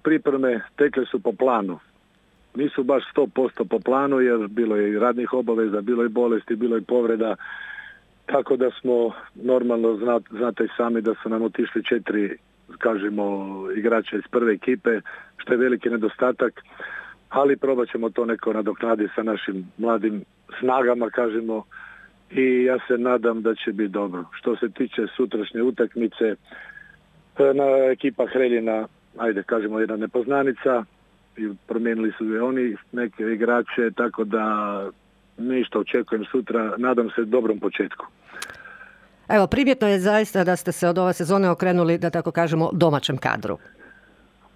pripreme tekle su po planu. Nisu baš 100% po planu jer bilo je i radnih obaveza, bilo je bolesti, bilo je povreda. Tako da smo normalno, znate i sami da su nam otišli 4, kažemo, igrača iz prve ekipe, što je veliki nedostatak, ali probat ćemo to neko nadoknaditi sa našim mladim snagama, kažemo, i ja se nadam da će biti dobro. Što se tiče sutrašnje utakmice, ekipa Hreljina, ajde kažemo jedna nepoznanica, i promijenili su i oni neke igrače, tako da ništa očekujem sutra, nadam se dobrom početku. Evo, primjetno je zaista da ste se od ove sezone okrenuli, da tako kažemo, domaćem kadru.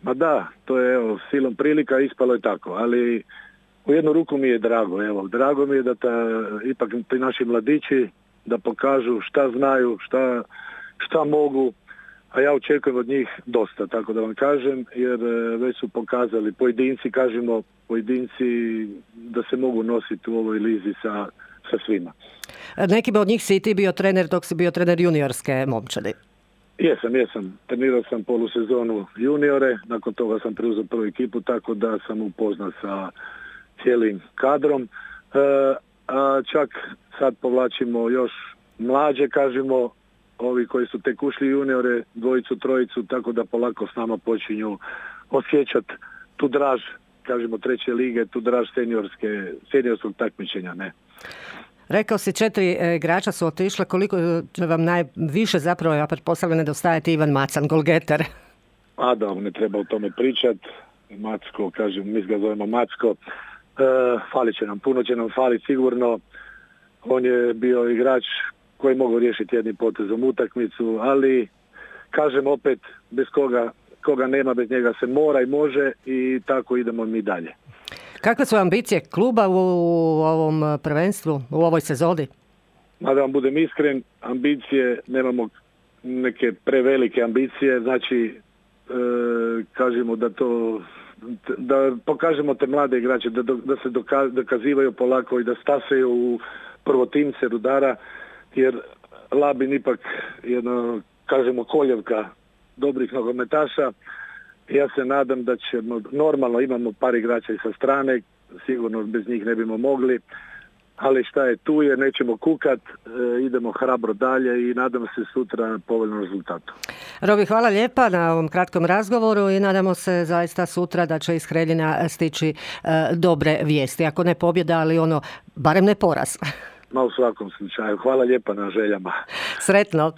Ma da, to je silom prilika, ispalo je tako, ali u jednu ruku mi je drago. Drago mi je da ipak ti naši mladići da pokažu šta znaju, šta mogu, a ja očekujem od njih dosta, tako da vam kažem, jer već su pokazali pojedinci da se mogu nositi u ovoj lizi sa svima. Nekima od njih si i ti bio trener dok si bio trener juniorske momčadi. Jesam. Trenirao sam polusezonu juniore, nakon toga sam preuzeo prvu ekipu, tako da sam upoznat sa cijelim kadrom. A čak sad povlačimo još mlađe, kažemo, ovi koji su tek ušli juniore, 2, 3, tako da polako s nama počinju osjećati tu draž, kažemo, 3. lige, tu draž seniorskog takmičenja, ne. Rekao si 4 igrača su otišle, koliko će vam najviše zapravo, ja pretpostavljam, nedostajati Ivan Macan, golgeter? A da, ne treba o tome pričati. Macko, kažem, mi ga zovemo Macko. Falit će nam, puno će nam faliti sigurno. On je bio igrač koji mogu riješiti jednim potezom utakmicu, ali kažem opet, bez koga nema, bez njega se mora i može i tako idemo mi dalje. Kakve su ambicije kluba u ovom prvenstvu, u ovoj sezoni? Da vam budem iskren, ambicije, nemamo neke prevelike ambicije, znači kažemo da pokažemo te mlade igrače, da se dokazivaju polako i da stasaju u prvotimce Rudara, jer Labin ipak jedno, kažemo, koljevka dobrih nogometaša. Ja se nadam da ćemo, normalno imamo par igrača i sa strane, sigurno bez njih ne bimo mogli, ali šta je tu je, nećemo kukat, idemo hrabro dalje i nadam se sutra povoljnom rezultatu. Robi, hvala lijepa na ovom kratkom razgovoru i nadamo se zaista sutra da će iz Hreljina stići dobre vijesti. Ako ne pobjeda, ali barem ne poraz. Ma u svakom slučaju. Hvala lijepa na željama. Sretno.